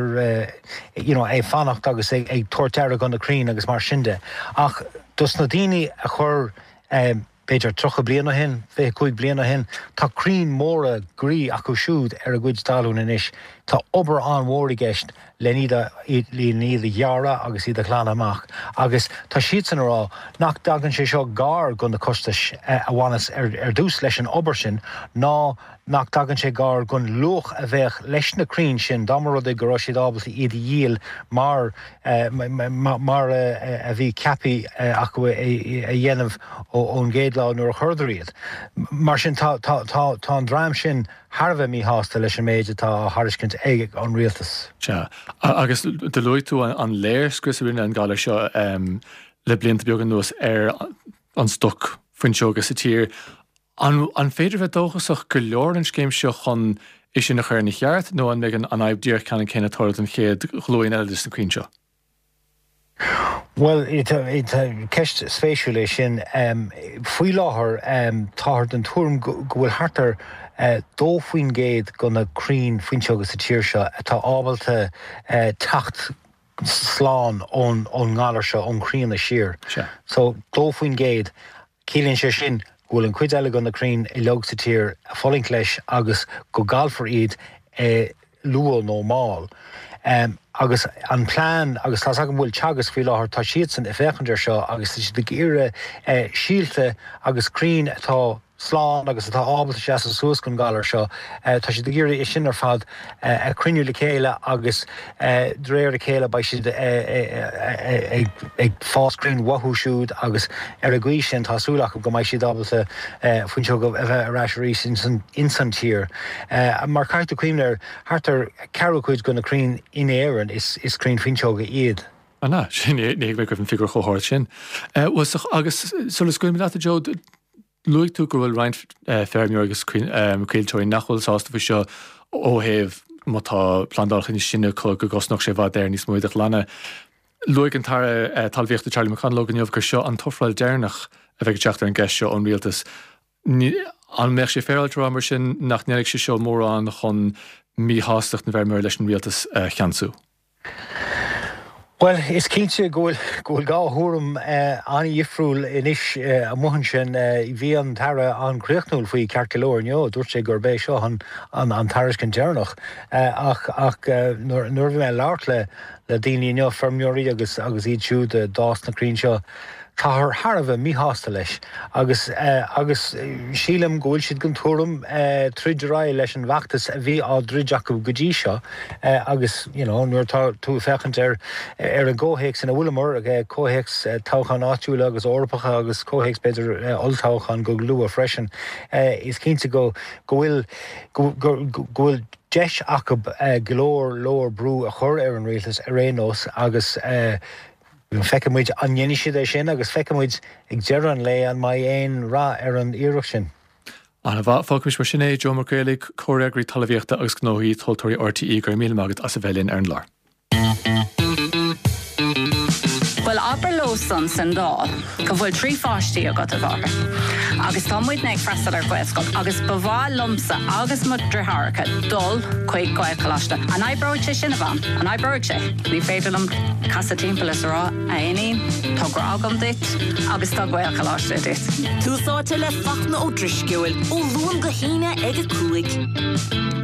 S4: you know ag fanacht agus ag tabhairt aire do na crainn agus mar sin de. Ach dos na daoine a chuir. b'fhéidir 30 bliain ó shin, 25 bliain ó shin. Tá crainn mhóra groí acu siúd ar a gcuid talún anois. Tá obair an-mhór i gceist len iad a len iad a ghearradh agus iad a ghlanadh amach agus tá siadsan a rá nach dtagann sé seo gar go na costais a bhaineas ar ar dtús leis an obair sin ná nach dtagann sé gar gon luach a bheadh leis na crainn sin dá mba rud é go raibh siad ábalta iad a dhíol mar mar a bhí ceaptha acu a dhéanamh ón gcéad lá nuair a chuireadar iad. Mar sin tá tá tá an dream sin thar a bheith míshásta leis an méid atá á thairiscint ag an rialtas.
S1: Sea. Agus do luaigh tú an léirscrios a rinne an galar seo le blianta beaga anuas ar an stoc fuinseoga sa tír. An féidir a bheith dóchasach go leor an scéim seo chun é sin a chur ina cheart nó an mbeidh an fhadhb díreach ceannann céanna ag tarlú don chéad ghlúin eile de na crainn seo?
S4: Bhuel, ceist spéisiúil é sin. Faoi láthair, táthar den tuairim go bhfuil thart ar 2% de na crainn fuinseoga sa tír seo atá ábalta teacht slán ón ngalar seo, ón chríonadh siar. So, 2%. Ciallaíonn sé sin go bhfuil an chuid eile de na crainn uilig sa tír ag fulaingt leis agus go gcaillfear iad luath nó mall. Agus an plean, agus tá's agam go bhfuil Teagasc faoi láthair, tá siadsan ag féachaint air seo agus tá siad ag iarraidh síolta agus crainn atá slán agus atá ábalta seasamh suas don ghalar seo, tá siad ag iarraidh é sin ar fad a chruinniú le chéile agus de réir a chéile beidh siad ag fás crainn uathu siúd agus ar an gcaoi sin tá súil acu go mbeidh siad ábalta fuinseoga a bheith ar ais arís ins an tír. Mar caithfidh tú cuimhneamh air, thart ar ceathrú cuid de na crainn in Éirinn is crainn fuinseoga iad.
S1: An ea? Sin, ní thuig mé go raibh an figiúr chomh hard sin. Bhuel, agus sula scaoilimid leat, a Joe, Luaigh tú go bhfuil roinnt feirmeoirí agus coillteoirí nach bhfuil sásta faoi seo ó thaobh má tá plandálacha níos sine acu go gcosnódh sé i bhfad Éireann níos mó iad a ghlanadh. Luaigh an tAire Talmhaíochta Charlie McConalogue inniu gur seo an t-ofráil deireanach a bheidh ag teacht ar an gceist seo ón rialtas. An mbeadh sé féaráilte a rá mar sin nach ndéanfaidh sé seo mórán chun míshástacht na bhfeirmeoirí leis an rialtas a cheansú?
S4: Bhuel, is cinnte go bhfuil go bhfuil dhá thuairim an-dhifriúil anois amuigh ansin. Bhí an tAire an-chríochnúil faoi ceart go leor inniu. Dúirt sé gurb é seo an an tairiscint deireanach. Ach ach nuair nuair a bhí mé ag labhairt le le daoine inniu, feirmeoirí agus agus iad siúd a d'fhás na crainn seo, Táthar thar a bheith míshásta leis agus agus sílim go bhfuil siad den tuairim troid ar aghaidh leis an bhfeachtas a bhí á dtroid acu go dtí seo agus you know nuair atá tú ag féachaint ar ar an gcomhthéacs ina bhfuileamar, comhthéacs toghcháin áitiúla agus Eorpacha agus comhthéacs b'fhéidir olltoghcháin go luath freisin, is cinnte go go bhfuil go go go bhfuil deis acu go leor leor brú a chur ar an rialtas ar aon nós agus Feicfidh muid an ndéanfaidh siad é sin agus feicfidh muid ag deireadh an lae an mbeidh aon rath ar an iarracht sin.
S1: An-mhaith. Fágfaimis mar sin é. Joe Mac Réalaigh, Comhfhreagraí Talmhaíochta agus Gnóthaí Tomhaltóirí RTÉ, go raibh míle maith agat as a bheith linn ar an gclár.
S5: Bhuel, abair leo san san Dáil go bhfuil 3 pháistí agat, a mháthair, agus tá muidne ag freastal ar Ghaelscoil agus ba mhaith liomsa agus mo dhriotháireacha dul chuig Gaelcholáiste. An oibreoidh sé sin, a Mham? An oibreoidh sé? Ní féidir liom casadh timpeall is a rá, a iníon, tá grá agam duit agus tá Gaelcholáiste duit.
S6: Tús Áite le Fachtna Ó Drisceoil, ó Luan go hAoine ag 5.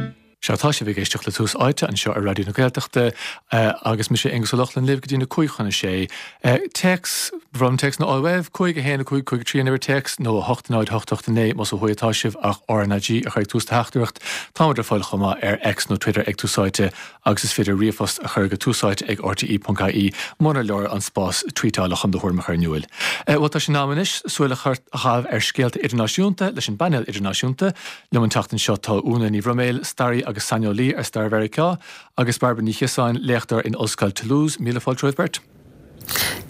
S1: Sea, tá sibh ag éisteacht le Tús Áite anseo ar Raidió na Gaeltachta agus mise Aonghus Ó Lochlainn libh go dtí na cúig chun a sé. Téacs, ba bhreá liom téacsanna a fháil uaibh, 5 1 5 5 3 an uimhir téacs nó 8 0 8 8 9 más ó thuaidh atá sibh ach RnaG a chur ag tús do theachtaireacht. Táimid ar fáil chomh maith ar X nó Twitter ag Tús Áite agus is féidir ríomhphost a chur go túsáite ag rte.ie munar leor an spás tweetála chun do thuairim a chur in iúil. Bhuel, tá sé in am anois súil a chaitheamh ar scéalta idirnáisiúnta leis an bpainéal idirnáisiúnta. Liom an tseachtain seo tá Úna Ní Bhroiméil, staraí agus saineolaí ar stair Mheiriceá, agus Bairbre Ní Chiosáin, léachtóir in Ollscoil Toulouse. Míle fáilte romhaibh beirt.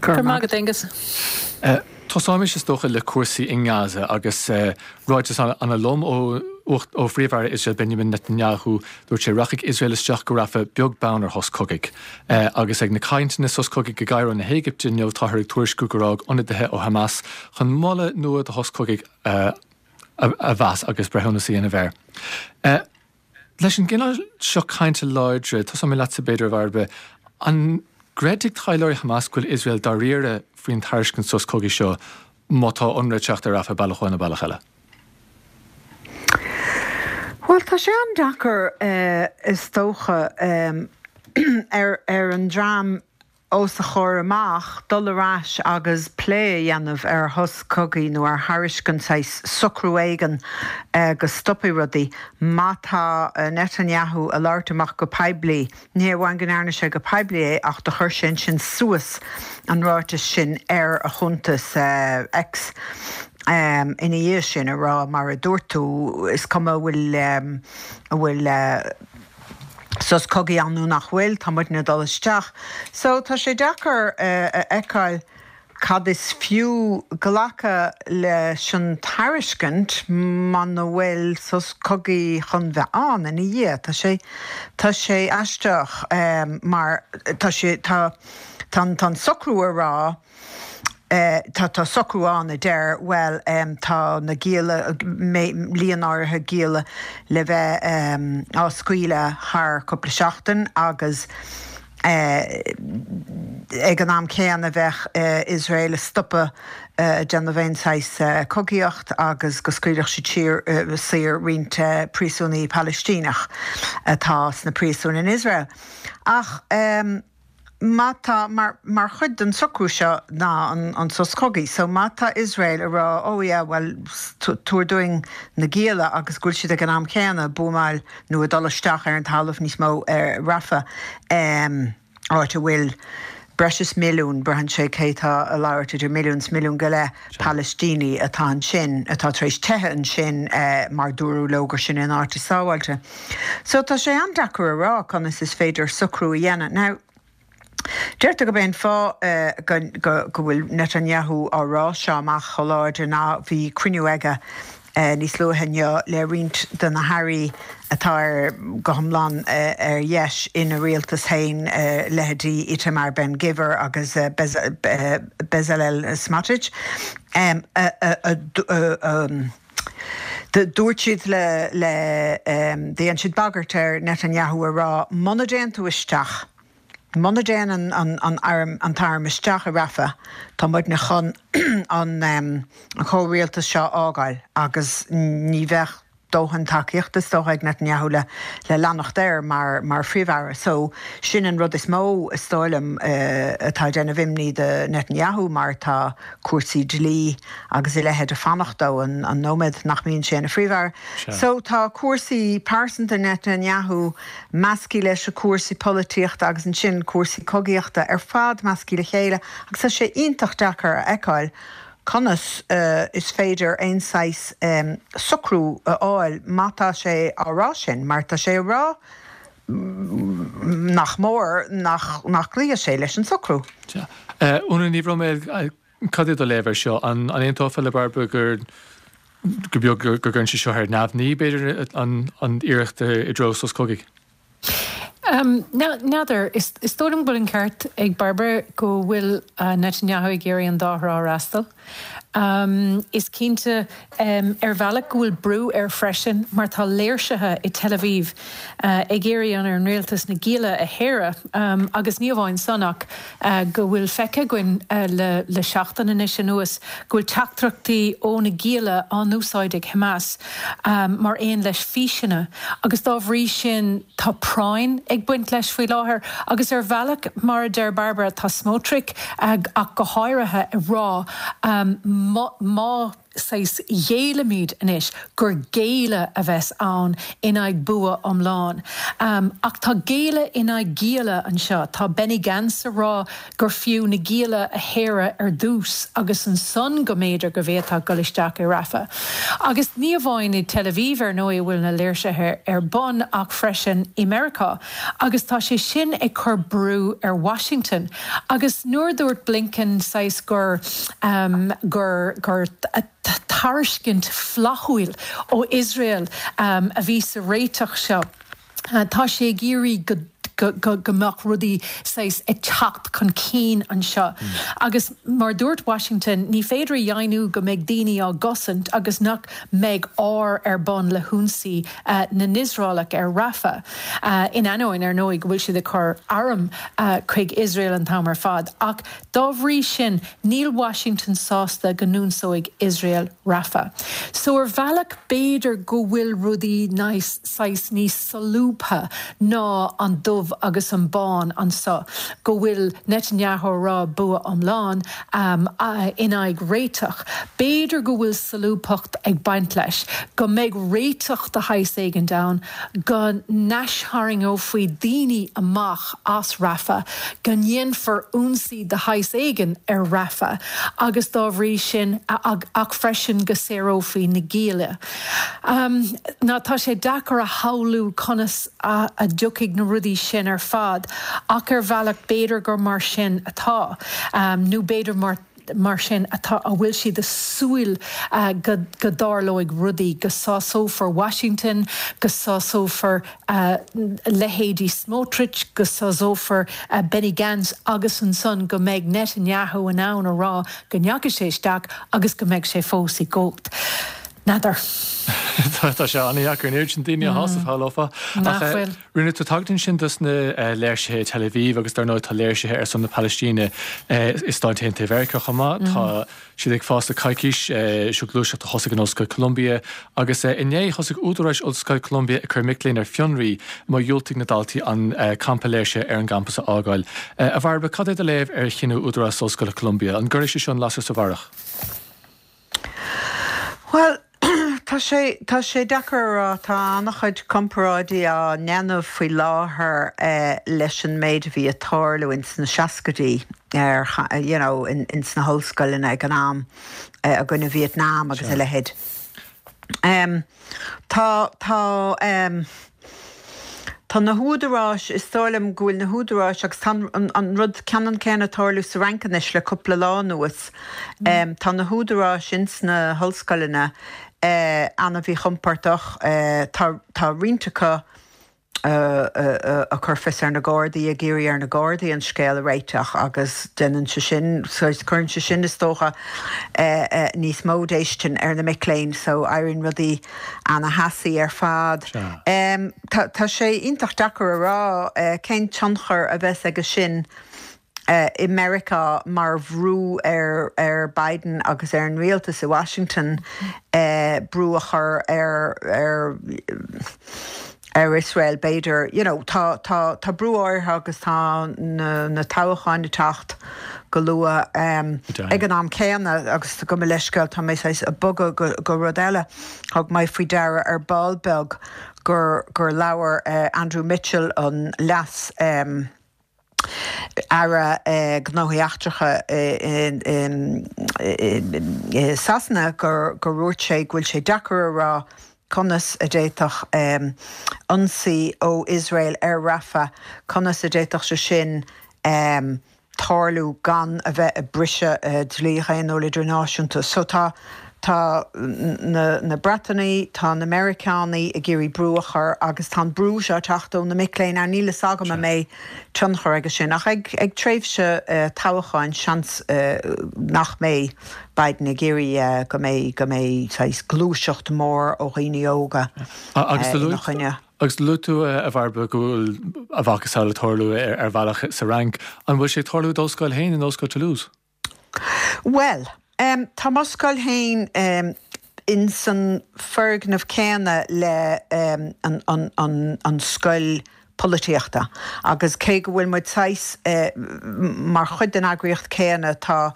S7: Go raibh maith agat, Aengus.
S1: Tosóimis, is dócha, le cúrsaí i nGaza agus ráiteas an-lom ó ó Phríomh-Aire Iosrael Benjamin Netanyahu. Dúirt sé, Rachaidh Iosrael isteach go Rafah beag beann ar shos cogaidh. Agus ag na cainteanna sos cogaidh i gCairo na hÉigipte inniu táthar ag tuairisciú gur fhág ionadaithe ó Hamas chun moladh nua do shos cogaidh a mheas agus breithiúnas a dhéanamh air. Leis an gcineál seo cainte láidre, tosóidh mé leatsa b'fhéidir, a Bhairbre, an gcreidfidh taidhleoirí Hamas go bhfuil Iosrael dáiríre faoin tairiscint sos cogaidh seo? má tá ionradh ag teacht ar Rafah bealach amháin nó bealach eile?
S8: Bhuel, tá sé an-deacair is dócha ar an dream os a chomhair amach dul ar ais agus plé a dhéanamh ar shos cogaidh nó ar thairiscint saghas socrú éigin go stopfaidh rudaí. Má tá Netanyahu a labhairt amach go poiblí, ní hé amháin go ndearna sé go poiblí é ach do chuir sé ansin suas an ráiteas sin ar a chuntas X ina dhiaidh sin a rá mar a dúirt tú, is cuma an bhfuil, an bhfuil. sos cogaidh ann nó nach bhfuil, tá muidne ag dul isteach. So tá sé deacair a fheiceáil cad is fiú glacadh leis an tairiscint muna bhfuil sos cogaidh chun bheith ann ina dhiaidh. Tá sé, tá sé aisteach mar tá sé, tá, tá an socrú a rá, Tá tá socrú ann a deir, bhuel, tá na gialla, líon áirithe gialla le bheith á scaoileadh thar cúpla seachtain agus ag an am céanna bheadh Iosrael ag stopadh ag déanamh aon saghas cogaíocht agus go scaoilfeadh siad siar saor roinnt príosúnaí Palaistíneach atá sna príosúin in Iosrael. Ach. Má tá, mar, mar chuid den socrú seo ná an, an sos cogaidh, so má tá Iosrael ag rá oh yeah bhuel tabhair dúinn na gialla agus go bhfuil siad ag an am céanna ag buamáil nó ag dul isteach ar an talamh níos mó ar Rafah, áit a bhfuil breis is milliún, braitheann sé cé tá ag labhairt, idir milliún is milliún go leith Palaistínigh atá ansin, atá tar éis teitheadh ansin mar dúradh leo gur sin an áit is sábháilte. So tá sé an-deacair a rá conas is féidir socrú a dhéanamh. Now, deirtear gurb é an fáth go go bhfuil Netanyahu á rá seo amach chomh láidir ná bhí cruinniú aige níos luaithe inniu le roinnt de na hairí atá ar go hiomlán ar dheis ina rialtas féin, leithéidí Itamar Ben Gvir agus Bezalel Smotrich, a Dúirt siad le, le, dhein siad bagairt ar Netanyahu a rá, muna dtéann tú isteach, muna dtéann an, an, an arm, an t-arm isteach i Rafah, tá muidne chun an, an chomhrialtas seo a fhágáil agus ní bheadh dóthain tacaíochta is dócha ag Netanyahu le, le leanacht air mar, mar phríomh-aire. So, sin an rud is mó, is dóigh liom, atá ag déanamh imní do Netanyahu mar tá cúrsaí dlí agus a leithéid ag fanacht dó an nóiméad nach mbíonn sé ina phríomh-aire. So tá cúrsaí pearsanta Netanyahu measctha leis na cúrsaí polaitíochta agus ansin cúrsaí cogaíochta ar fad measctha le chéile agus tá sé iontach deacair a fheiceáil conas is féidir aon saghas socrú a fháil má tá sé á rá sin mar tá sé á rá nach mór nach nach gcloífidh sé leis an socrú.
S1: Sea. Úna Ní Bhroiméil, cad é do léamh air seo? An aontófá le Bairbre gur gur beag go gcuireann sé seo ar neamhní, b'fhéidir, an an iarracht i dtreo sos cogaidh?
S7: N'fheadar. Is dóigh liom go bhfuil an ceart ag Bairbre go bhfuil Netanyahu ag iarraidh an dá thrá a fhreastal. Is cinnte ar bhealach go bhfuil brú air freisin mar tá léirsithe i Tel Aviv ag iarraidh ar an rialtas na gialla a shaoradh agus ní amháin san ach go bhfuil feicthe againn le seachtain anois anuas go bhfuil teachtaireachtaí ó na gialla á n-úsáid ag Hamas mar aon leis físeanna agus dá bhrí sin tá práinn ag baint leis faoi láthair agus ar bhealach mar a deir Bairbre tá Smotrich ach go háirithe ag rá má saghas ghéillimid anois gur géilleadh a bheas ann in aghaidh bua iomlán. Ach tá géilleadh in aghaidh gialla anseo. Tá Benny Gantz ag rá gur fiú na gialla a shaoradh ar dtús agus ansan go mb'fhéidir go bhféadfá dul isteach i Rafah. Agus ní amháin i Tel Aviv ar ndóigh a bhfuil na léirsithe ar bun ach freisin i Meiriceá. Agus tá sé sin ag cur brú ar Washington. Agus nuair a dúirt Blinken saghas gur, gur, gur tairiscint flaithiúil ó Iosrael a bhí sa réiteach seo, tá sé ag iarraidh go. go go mbeadh rudaí saghas ag teacht chun cinn anseo. Agus mar a dúirt Washington, ní féidir a dheimhniú go mbeidh daoine á gcosaint agus nach mbeidh ár ar bun le hionsaí na nIosraelach ar Rafah, in ainneoin, ar ndóigh, go bhfuil siad ag cur arm chuig Iosrael an t-am ar fad. Ach dá bhrí sin, níl Washington sásta go n-ionsóidh Iosrael Rafah. So ar bhealach, b'fhéidir go bhfuil rudaí saghas níos solúbtha ná an dubh agus an bán anso, go bhfuil Netanyahu ag rá bua iomlán in aghaidh réiteach. B'fhéidir go bhfuil solúbthacht ag baint leis, go mbeidh réiteach de shaghas éigint ann, go n-aistharraingeofaí daoine amach as Rafah, go ndéanfar ionsaí de shaghas éigin ar Rafah agus dá bhrí sin, ach freisin go saorófaí na gialla. Now tá sé deacair a shamhlú conas a dtiocfaidh na rudaí sin ar fad ach ar bhealach b'fhéidir gur mar sin atá nó b'fhéidir mar mar sin atá a bhfuil siad ag súil go go dtarlóidh rudaí, go sásófar Washington, go sásófar leithéidí Smotrich, go sásófar Benny Gantz agus ansan go mbeidh Netanyahu in ann a rá go ndeachaigh sé isteach agus go mbeidh sé fós i gcumhacht. N'fheadar.
S1: Tá sé an-dheacair an oiread sin daoine a shásamh, shamhlófá.
S7: Nach bhfuil.
S1: Rinne tú tagairt ansin dos na léirsithe i Tel Aviv agus dar ndóigh tá léirsithe ar son na Palaistíne i Stáit Aontaithe Mheiriceá chomh maith. Tá siad ag fás le coicís, seo gluaiseacht a thosaigh in Ollscoil Columbia agus inné thosaigh údaráis Ollscoil Columbia ag cur mic léinn ar fionraí má dhiúltaigh na daltaí an campa léirsithe ar an gcampas a fhágáil. A Bhairbre, cad é do léamh ar chinneadh údarás Ollscoile Columbia? An gcuirfidh sé seo an lasair sa bharrach?
S8: Bhuel, tá sé, tá sé deacair a rá. Tá an-chuid comparáidí á ndéanamh faoi láthair leis an méid a bhí ag tarlú ins na seascaidí ar, you know, ins na hollscoileanna ag an am, i gcoinne Vietnam agus a leithéid. Tá, tá, tá na húdaráis, is dóigh liom go bhfuil na húdaráis, agus tá an rud ceannann céanna ag tarlú sa Fhrainc anois le cúpla lá anuas, tá na húdaráis ins na hollscoileanna an-mhíchompordach, tá, tá roinnt acu, ag cur fios ar na Gardaí, ag iarraidh ar na Gardaí an scéal a réiteach agus déanann sé sin, cuireann sé sin is dócha níos mó déistin ar na mic léinn so éiríonn rudaí ana-theasaí ar fad. Tá sé iontach deacair a rá cén tionchar a bheas aige sin i Meiriceá mar bhrú ar Biden agus ar an rialtas i Washington brú a chur ar ar ar Iosrael b'fhéidir. You know tá tá tá brú áirithe agus tá na na toghcháin ag teacht go luath ag an am céanna agus gabh mo leithscéal tá mé saghas ag bogadh go go rud eile. Thug mé faoi deara ar ball beag gur gur labhair Andrew Mitchell an leas Aire Gnóthaí Eachtracha i Sasana gur dhúirt sé go bhfuil sé deacair a rá conas a d'fhéadfadh ionsaí ó Iosrael ar Rafah, conas a d'fhéadfadh sé sin tarlú gan a bheith ag briseadh dlí dhaonnúil idirnáisiúnta. So tá Tá na Breatanaigh, tá na Meiriceánaigh ag iarraidh brú a chur agus tá an brú seo ag teacht ó na mic léinn. Now níl fhios agam an mbeidh tionchar aige sin ach ag ag tréimhse toghcháin seans nach mbeidh Biden ag iarraidh go mbeidh go mbeidh saghas gluaiseacht mhór ó dhaoine óga ina choinne.
S1: Agus luaigh tú, a Bhairbre, go bhfuil a mhacasamhail ag tarlú ar bhealach sa Fhrainc. An bhfuil sé ag tarlú i d'ollscoil féin, in Ollscoil Toulouse?
S8: Bhuel, tá m'ollscoil féin ins an foirgneamh céanna le an scoil polaitíochta agus cé go bhfuil muid saghas mar chuid den eagraíocht céanna tá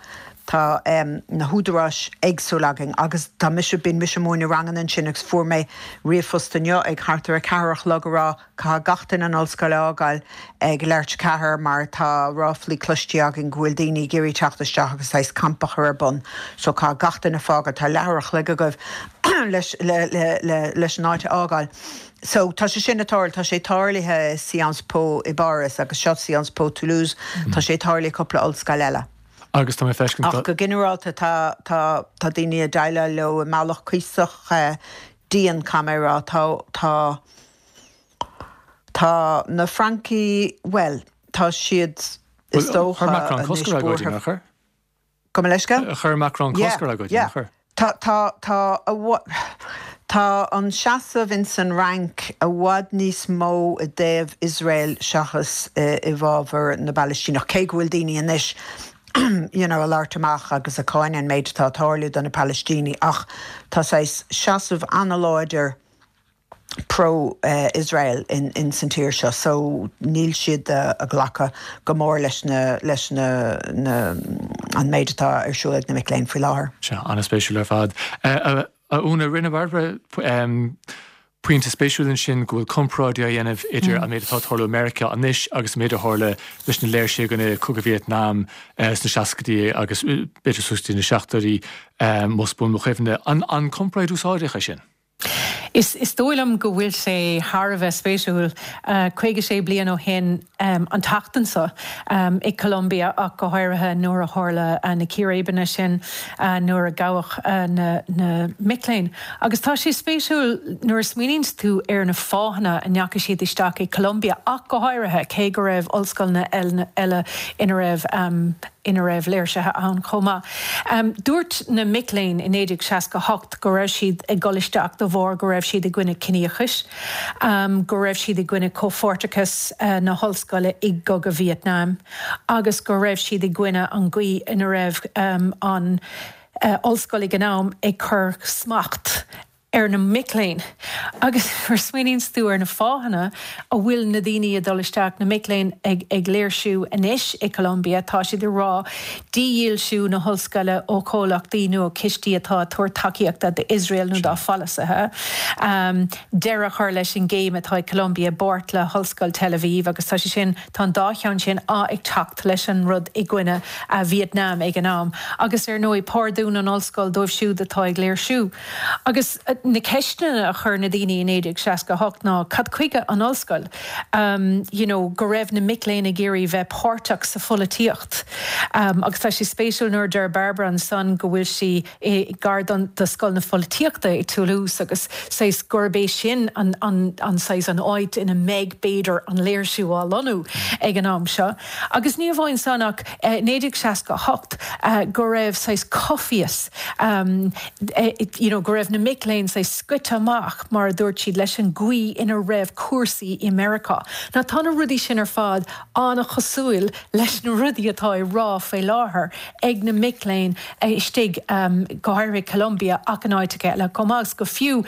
S8: tá na húdaráis éagsúil againn agus tá mise, bíonn mise ag múineadh ranganna ansin agus fuair mé ríomhphost inniu ag thart ar a ceathair a chlog a rá Caithfidh gach duine an ollscoil a fhágáil ag leathuair tar éis a ceathair mar tá ráflaí cloiste againn go bhfuil daoine ag iarraidh teacht isteach agus saghas campa a chur ar bun so caithfidh gach duine fágáil, tá leathuair a chloig agaibh leis leis an áit a fhágáil. So tá sé sin ag tarlú, tá sé tarlaithe i Sciences Po i bPáras agus seo Sciences Po Toulouse, tá sé tarlaithe i cúpla ollscoil eile.
S1: Agus tá mé ag feiscint
S8: Ach go ginearálta tá tá tá daoine ag déileáil leo i mbealach cuíosach dian, caithfidh mé a rá. Tá tá. Tá na Francaigh, bhuel, tá siad, is dócha,
S1: Chuir Macron cosc
S8: ar
S1: agóidí, nár chuir?
S8: Gabh mo leithscéal?
S1: Chuir Macron cosc ar agóidí, nár chuir?
S8: Tá, tá, tá, tá an seasamh ins an Fhrainc i bhfad níos mó i dtaobh Iosrael seachas i bhfabhar na bPalaistíneach, cé go bhfuil daoine anois you know ag labhairt amach agus ag cáineadh an méid atá ag tarlú do na Palaistínigh ach tá saghas seasamh an-láidir pro-Israel in san tír seo so níl siad ag glacadh go mór leis na leis na na an méid atá ar siúl ag na mic léinn faoi láthair.
S1: Sea, an-spéisiúil ar fad. A Úna, rinne Barbara pointe spéisiúil ansin go bhfuil comparáid á dhéanamh idir an méid atá ag tarlú i Meiriceá anois agus an méid a tharla leis na léirsithe i gcoinne Cogadh Vítneam sna seascaidí agus b'fhéidir suas go dtí na seachtóidí, más buan mo chuimhne. An comparáid úsáideach é sin?
S7: Is dóigh liom go bhfuil sé thar a bheith spéisiúil. 56 bliain ó shin an tseachtain seo, i Colombia ach go háirithe, nuair a tharla na círéibeanna sin, nuair a gabhadh na mic léinn. Agus tá sé spéisiúil nuair a smaoiníonns tú ar na fáthanna a ndeachaigh siad isteach i Colombia ach go háirithe, cé go raibh ollscoileanna eile ina raibh ina raibh léirsithe ann chomh maith. Dúirt na mic léinn i 1968 go raibh siad ag dul isteach de bharr go raibh siad i gcoinne ciníochais, go raibh siad i gcoinne comhpháirteachas na hollscoile i gcogadh Vítneam agus go raibh siad i gcoinne an gcaoi ina raibh an ollscoil ag an am ag cur smacht ar na mic léinn. Agus nuair a smaoiníonns tú ar na fáthanna a bhfuil na daoine ag dul isteach, na mic léinn ag ag léirsiú anois i Colombia, tá siad ag rá dídhílsiú na hollscoile ó chomhlachtaí nó ó chistí atá ag tabhairt tacaíochta d'Iosrael nó dá pholasaithe, deireadh a chur leis an gcéim atá ag Colombia i bpáirt le hOllscoil Tel Aviv agus tá sé sin, tá an dá cheann sin ag teacht leis an rud i gcoinne Vietnam ag an am. Agus ar ndóigh pardún an ollscoil dóibh siúd atá ag léirsiú. Agus na ceisteanna a chuir na daoine i 1968 ná cad chuige an ollscoil? You know, go raibh na mic léinn ag iarraidh bheith páirteach sa pholaitíocht. Agus tá sé spéisiúil nuair a deir Barbara ansan go bhfuil sí i gar don do Scoil na Pholaitíochta i Toulouse agus saghas gurb é sin an an an saghas an áit ina mbeidh b'fhéidir an léirsiú á lonnú ag an am seo. Agus ní amháin san ach i 1968 go raibh saghas coimhthíos you know go raibh na mic léinn saghas scoite amach, mar a dúirt siad, leis an gcaoi ina raibh cúrsaí i Meiriceá. Now tá na rudaí sin ar fad an-chosúil leis na rudaí atá á rá faoi láthair ag na mic léinn istigh, go háirithe i Colombia ach in áiteacha eile chomh maith. Agus go fiú,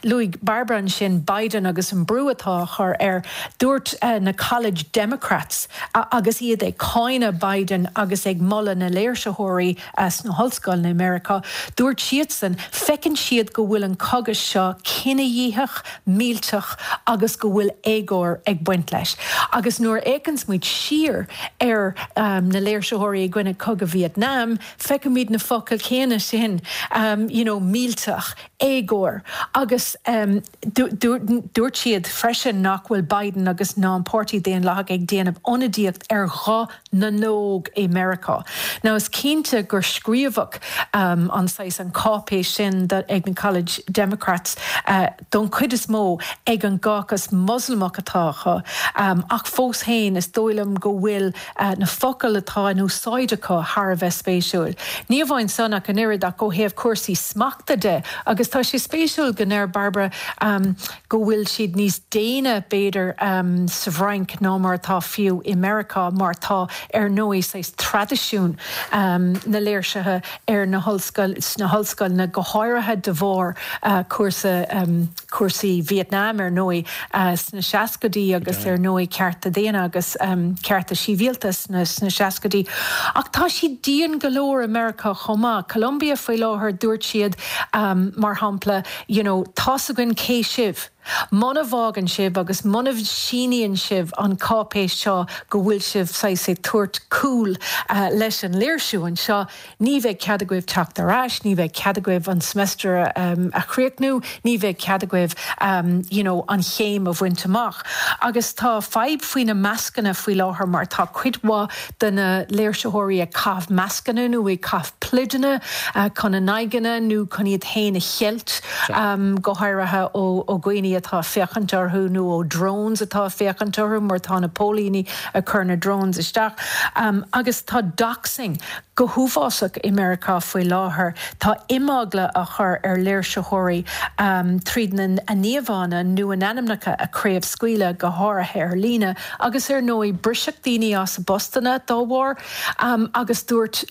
S7: luaigh Barbara ansin Biden agus an brú atá á chur air. Dúirt na College Democrats agus iad ag cáineadh Biden agus ag moladh na léirsitheoirí sna hollscoileanna i Meiriceá, dúirt siadsan, feiceann siad go bhfuil an cogadh seo cinedhíothach, millteach agus go bhfuil éagóir ag baint leis. Agus nuair a fhéachanns muid siar ar na léirsitheoirí i gcoinne cogadh Vietnam, feicimid na focail chéanna sin, you know, millteach, éagóir. Agus dúirt siad freisin nach bhfuil Biden agus ná an Páirtí Daonlathach ag déanamh ionadaíocht ar ghuth na n-óg i Meiriceá. Now is cinnte gur scríobhadh an saghas, an cáipéis sin ag na College Democrats don chuid is mó ag an gcaucus Moslamach atá acu ach fós féin is dóigh liom go bhfuil na focail atá in úsáid acu thar a bheith spéisiúil. Ní amháin san ach an oiread ach ó thaobh cúrsaí smachta de agus tá sé spéisiúil go ndeir Barbara go bhfuil siad níos déine, b'fhéidir, sa bhFrainc ná mar atá fiú i Meiriceá, mar tá, ar ndóigh, saghas traidisiún na léirsithe ar na hollscoil, sna hollscoileanna, go háirithe de bharr cúrsa, cúrsaí Vietnam, ar ndóigh, sna seascaidí agus, ar ndóigh, cearta daonna agus cearta sibhialta sna seascaidí. Ach tá siad dian go leor i Meiriceá chomh maith. Columbia faoi láthair, dúirt siad, mar shampla, you know, tá's againn cé sibh. Muna bhfágann sibh agus muna síníonn sibh an cáipéis seo go bhfuil sibh saghas ag tabhairt cúl leis an léirsiú anseo, ní bheidh cead agaibh teacht ar ais, ní bheidh cead agaibh an semester a chríochnú, ní bheidh cead agaibh you know an chéim a bhaint amach. Agus tá fadhb faoi na mascanna faoi láthair mar tá cuid mhaith de na léirsitheoirí ag caitheamh mascanna nó ag caitheamh pluideanna chun a n-aghaidheanna nó chun iad féin a cheilt, go háirithe ó dhaoine. póilíní atá ag féachaint orthu nó ó drones atá ag féachaint orthu mar tá na póilíní ag cur na drones isteach. Agus tá doxing go huafásach i Meiriceá faoi láthair. Tá imeagla á chur ar léirsitheoirí tríd na a n-íomhánna nó a n-ainmneacha a chraobhscaoileadh, go háirithe ar líne, agus ar ndóigh briseadh daoine as a bpostanna dá bharr agus dúirt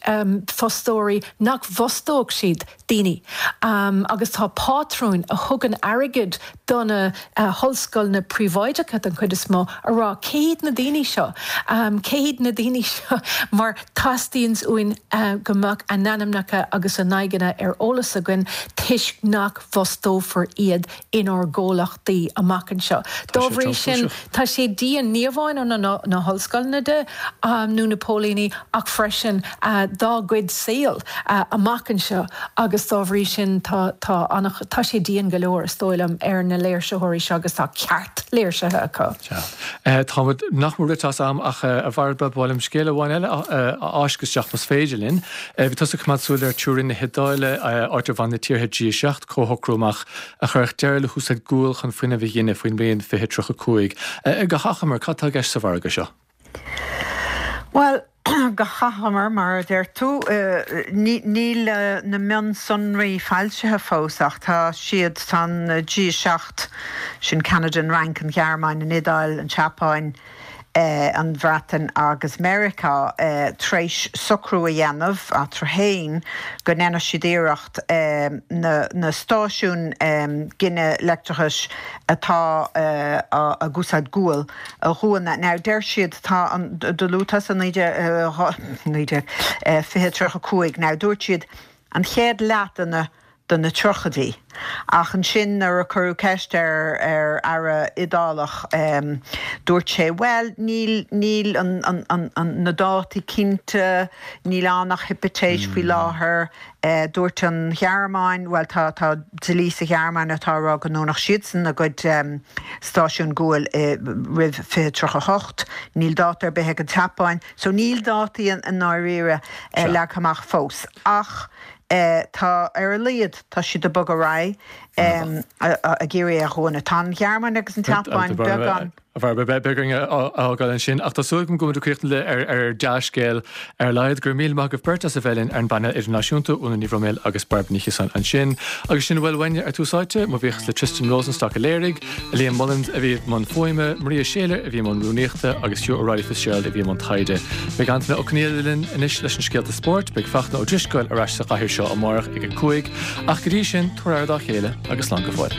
S7: fostóirí nach bhfostódh siad daoine agus tá pátrúin a thugann airgead do na hollscoileanna príobháideacha den chuid is mó a rá cé hiad na daoine seo, cé hiad na daoine seo mar teastaíonn uainn go mbeadh a n-ainmneacha agus a n-aghaidheanna ar eolas againn toisc nach bhfostófar iad inár gcomhlachtaí amach anseo. Dá bhrí sin, tá sé dian, ní amháin ó na hollscoileanna de nó na póilíní ach freisin dá gcuid saoil amach anseo agus dá bhrí sin tá tá tá sé dian go leor, is dóigh liom, ar na léirsitheoirí seo agus tá ceart léirsithe acu.
S1: Sea. Táimid nach mór rite as am ach, a Bhairbre, ba mhaith liom scéal amháin eile a fháisceadh isteach más féidir linn. Bhí tusa ag coimeád súil ar Turin na hIodáile, áit ar bhain na tíortha G7 comhshocrú amach a chuirfeadh deireadh le húsáid guail chun fuinneamh a ghineadh faoin mbliain 2035. Go hachomair, cad tá i gceist sa mhargadh seo?
S8: Bhuel, go hachomair, mar a deir tú, níl na mionsonraí foilsithe fós ach tá siad, tá an G7, sin Ceanada, an Fhrainc, an Ghearmáin, an Iodáil, an tSeapáin, an Bhreatain agus Meiriceá tar éis socrú a dhéanamh eatarthu féin go ndéanfaidh siad iarracht na stáisiúin gine leictreachais atá ag úsáid gual a dhúnadh. Now deir siad tá an, do luaigh tusa 19, 2035, now dúirt siad an chéad leath de na de na tríochaidí. Ach ansin nuair a cuireadh ceist ar ar aire Iodálach dúirt sé bhuel níl níl an an an an na dátaí cinnte, níl ann ach hipitéis faoi láthair. Dúirt an Ghearmáin, bhuel tá tá dlí sa Ghearmáin atá ag rá go ndúnfadh siadsan a gcuid stáisiún guail roimh 2038. Níl dáta ar bith ag an tSeapáin. So níl dátaí i ndáiríre leagtha amach fós. Ach Tá, ar a laghad, tá siad ag bogadh ar aghaidh ag iarraidh é a dhúnadh. Tá an Ghearmáin agus an tSeapáin beagán.
S1: A Bhairbre, beidh orainn a fhágáil ansin, ach tá súil agam go bhfuil muid ag críochnú ar dea-scéal ar a laghad. Go raibh míle maith agaibh beirt as a bheith linn ar an bpainéal idirnáisiúnta, Úna Ní Bhroiméil agus Bairbre Ní Chiosáin ansin. Agus sin a bhfuil uainne ar Tús Áite. Mo bhuíochas le Tristan Rosenstock a léirigh. Liam Mullins a bhí i mbun fuaime, Maria Shayler a bhí i mbun rúnaíochta agus Hugh O'Reilly Fitzgerald a bhí i mbun taighde. Beidh Antaine Ó Conghaile linn anois leis na scéalta spóirt, beidh Fachtna Ó Drisceoil ar ais sa chathaoir seo amárach ag 5, ach go dtí sin, tabhair aire dá chéile agus slán go fóill.